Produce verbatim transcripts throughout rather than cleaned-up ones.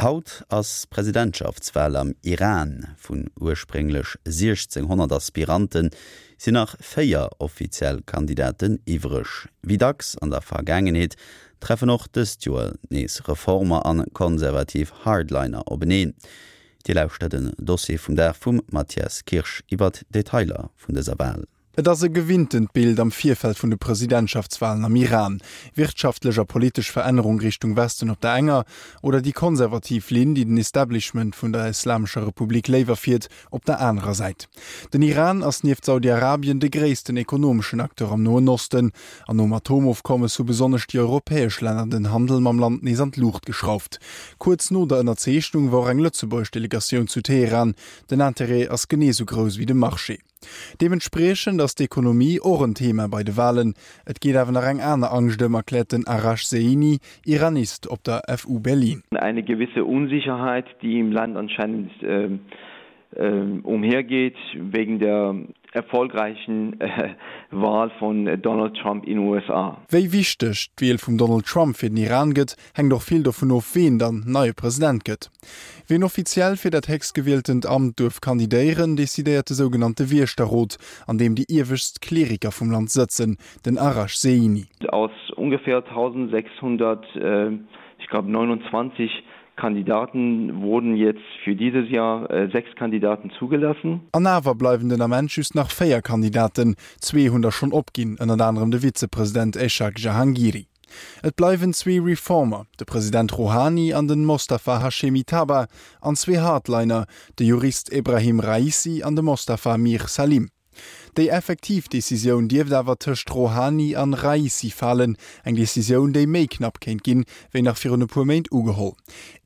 Haut ass Presidentschaftswal am Iran. Vun ursprénglech siechzénghonnert Aspiranten sinn nach véier offiziell Kandidaten iwwreg. Wéi dacks an der Vergaangenheet treffen och dëst Joer nees Reformer an konservativ Hardliner openeen. Dir lauschtert den Dossier vum Dag vum Mathias Kirsch iwwert d'Detailer vun dëser Wal. Et ass e gewinntent Bild am Virfeld vun de Presidentschaftswalen am Iran. Wirtschaftlech a politesch Verännerung Richtung Westen op der enger, oder déi konservativ Linn, déi den Establishment vun der Islamescher Republik léiwer fiert, op der anerer Säit. Den Iran ass nieft Saudi-Arabien de gréissten ekonomeschen Acteur am Noen Osten, an nom Atomofkommes hu besonnesch déi europäesch Länner den Handel mam Land nees an d'Luucht geschrauft. Kuerz no der Ënnerzeechnung war och eng lëtzebuergesch Delegatioun zu Teheran. Den Interêt ass genee sou grouss wéi de Marché. Deementspriechend ass d'Ekonomie och en Thema bei de Walen. Et geet awer nach eng aner Angscht ëm, erkläert den Arash Zeini, Iranist op der F U Berlin. Eine gewisse Unsicherheit, die im Land anscheinend umhergeht wegen der erfolgreichen Wahl von Donald Trump in U S A. Wéi wichteg d'Wiel vum Donald Trump fir den Iran gëtt, hänkt och vill dovun of, ween dann neie President gëtt. Wien offiziell fir dat héchstgewieltent Amt duerf kandidéieren, decidéiert de sougenannte Wiechterrot, an deem déi iewescht Kleriker vum Land sëtzen, den Arash Zeini. Aus ungefähr tausendsechshundert, ich glaube neunundzwanzig Kandidaten wurden jetzt für dieses Jahr sechs Kandidaten zugelassen. An awer bleiwen den Ament just nach véier Kandidaten, zwee hunn der schonn opginn, ënnert anerem de Vizepresident Eshaq Jahangiri. Et bleiwen zwee Reformer, de President Rohani an den Mostafa Hashemi Taba, an zwee Hardliner, de Jurist Ebrahim Raisi an de Mostafa Mir Salim. Déi effektiv Decisioun dierft awer tëscht Rohani an Raisi falen, eng Decisioun, déi méi knapp kéint ginn, wéi nach virun e puer Méint ugeholl.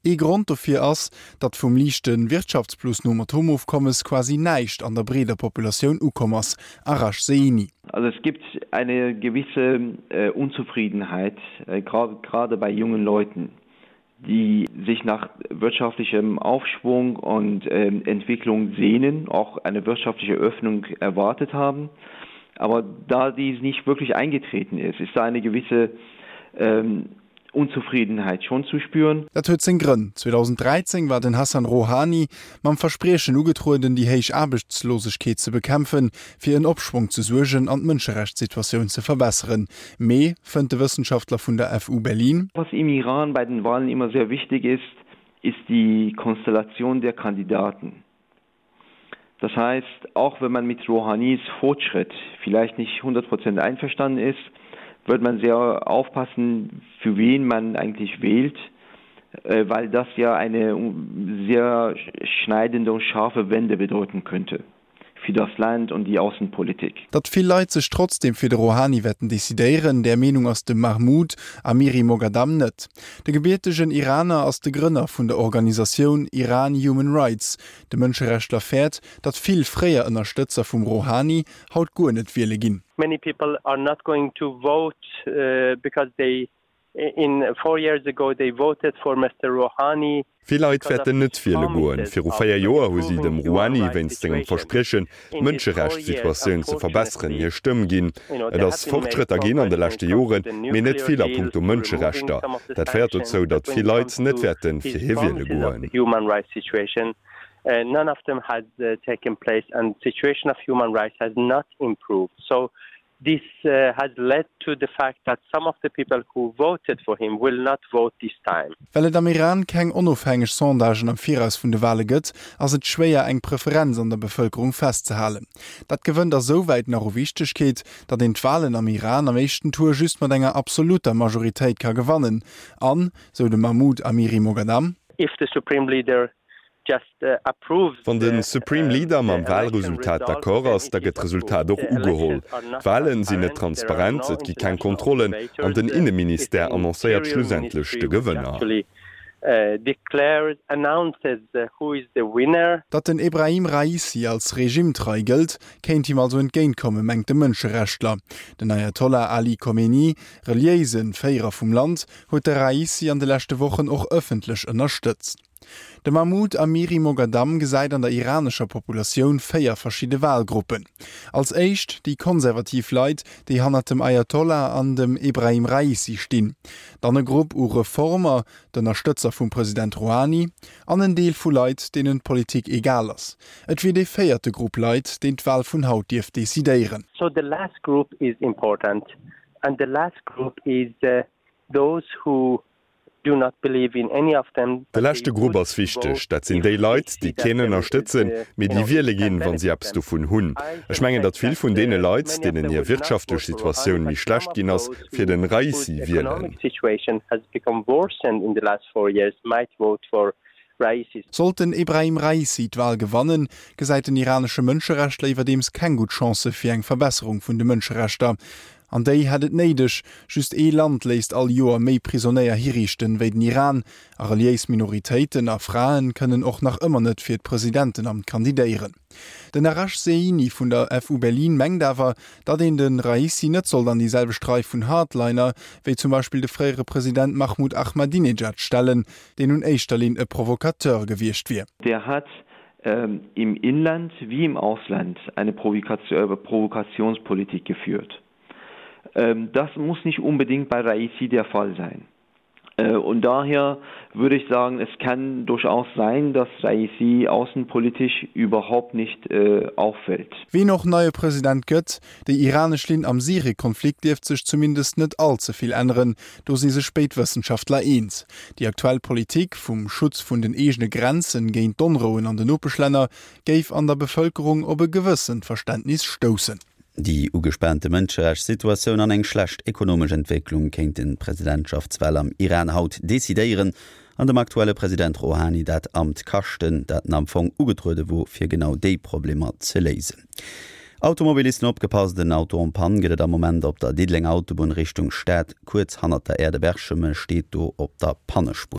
Ee Grond dofir ass, datt vum liichte Wirtschaftsplus nom Atomofkommes quasi näischt an der breeder Populatioun ukomm ass, Arash Zeini. Also es gibt eine gewisse Unzufriedenheit, gerade bei jungen Leuten, die sich nach wirtschaftlichem Aufschwung und Entwicklung sehnen, auch eine wirtschaftliche Öffnung erwartet haben. Aber da dies nicht wirklich eingetreten ist, ist da eine gewisse ähm, Unzufriedenheit schon zu spüren. Dat huet seng Grënn. zweedausenddräizéng war den Hassan Rohani mam Verspriechen ugetrueden, déi héich Aarbechtslosegkeet ze bekämpfen, fir en Opschwong ze suergen an d'Mënscherechtssituatioun ze verbesseren. Mee, fënnt de Wëssenschaftler vun der F U Berlin. Was im Iran bei den Wahlen immer sehr wichtig ist, ist die Konstellation der Kandidaten. Das heißt, auch wenn man mit Rohanis Fortschritt vielleicht nicht hundert Prozent einverstanden ist, wird man sehr aufpassen, für wen man eigentlich wählt, weil das ja eine sehr schneidende und scharfe Wende bedeuten könnte fir das Land und die Außenpolitik. Datt vill Leit sech trotzdeem fir de Rohani wäerten decidéieren, där Meenung ass de Mahmoud Amiri Moghadam net. De gebiertegen Iraner ass de Grënner vun der Organisatioun Iran Human Rights. De Mënscherechtler fäert, datt vill fréier Ënnerstëtzer vum Rohani haut guer net wiele ginn. Many people are not going to vote because they in four years ago they voted for Mister Rouhani. Vill Leit wäerten net wiele goen. Viru véier Joer hu si dem Rouhani wéinst sengem Verspriechen, d'Mënscherechtssituatioun ze verbesseren, hir Stëmm ginn. Et ass Fortschrëtter ginn an de leschte Joren, mee net vill a punkto Mënscherechter. Dat féiert dozou, datt vill Leit net wäerte fir hie wiele goen. None of them has taken place and the situation of human rights has not improved. So this has led to the fact that some of the people who voted for him will not vote this time. Well et am Iran keng onofhängeg Sondagen am Viraus vun de Wale gëtt, ass et schwéier eng Preferenz an der Bevëlkerung festzehalen. Dat gewënnt a souwäit nach u Wichtegkeet, datt een d'Walen am Iran am éischten Tour just mat enger absolutter Majoritéit ka gewannen an, sou de Mahmoud Amiri Moghadam. If the supreme leader Wann de Supreme Leader mam Walresultat d'accord ass, da gëtt d'Resultat och ugeholl. D'Wale sinn net transparent, et gi keng Kontrollen an den Inneministère annoncéiert schlussendlech de Gewënner. Datt den Ebrahim Raisi als regimetrei gëllt, kéint him also entgéintkommen, mengt de Mënscherechtler. Den Ayatollah Ali Khamenei, reliéise Féierer vum Land, huet de Raisi an de leschte Wochen och ëffentlech ënnerstëtzt. De Mahmoud Amiri Moghadam gesäit an der iranescher Populatioun véier verschidde Walgruppen. Als éischt déi konservativ Leit, déi hannert dem Ayatollah an dem Ebrahim Raisi stinn. Dann e Grupp u Reformer, d'Ënnerstëtzer vum President Rouhani, an en Deel vu Leit, deenen d'Politik egal ass. Et wier dee véierte Grupp Leit, deen d'Wal vun haut dierft decidéieren. So the last group is important and the last group is those who do not believe in any of them. De leschte Grupp ass wichteg, dat sinn déi Leit, déi keen ënnerstëtzen, mee déi wiele ginn, wa si eppes dovun hunn. Ech mengen, datt vill vun deene Leit, deenen hir wirtschaftlech Situatioun méi schlecht ginn ass, fir de Raisi wielen. Sollt den Ebrahim Raisi d'Wal gewannen, gesäit den iranesche Mënscherechtler iwwerdeems keng gutt Chancë fir eng Verbesserung vun de Mënscherechter. An déi hätt et néideg, just ee Land léisst all Joer méi Prisonéier hiriichten wéi den Iran, a reliéis Minoritéiten a Fraen kënnen och nach ëmmer net fir d'Presidentenamt kandidéieren. Den Arash Zeini vun der F U Berlin mengt awer, datt een de Raisi net sollt an déi selwecht Rei vun Hardliner, wéi zum Beispill de fréiere President Mahmoud Ahmadinejad stellen, deen un éischter Linn e Provocateur gewiescht wier. Der hat im Inland wie im Ausland eine Provokationspolitik geführt. Das muss nicht unbedingt bei Raisi der Fall sein. Und daher würde ich sagen, es kann durchaus sein, dass Raisi außenpolitisch überhaupt nicht äh, auffällt. Wien och neie President gëtt, déi iranesch Linn am Syrie-Konflikt dierft sech zumindest net all ze vill änneren, do si sech béid Wëssenschaftler eens. Déi aktuell Politik vum Schutz vun den eegene Grenzen géint d'Onrouen an den Nopeschlänner géif an der Bevëlkerung op e gewëssent Verständnis stoussen. Déi ugespaante Mënscherechtssituatioun an eng schlecht ekonomesch Entwécklung kéinten d'Presidentschaftswal am Iran haut decidéieren an dem aktuelle President Rouhani dat Amt kaschten, dat en am Fong ugetruede wor, fir genau déi Problemer ze léisen. Automobilisten opgepasst, En Auto en panne gëtt et am Moment op der Diddelenger Autobunn Richtung Stad, kuerz hannert der Aire de Berchem, steet do op der Pannespuer.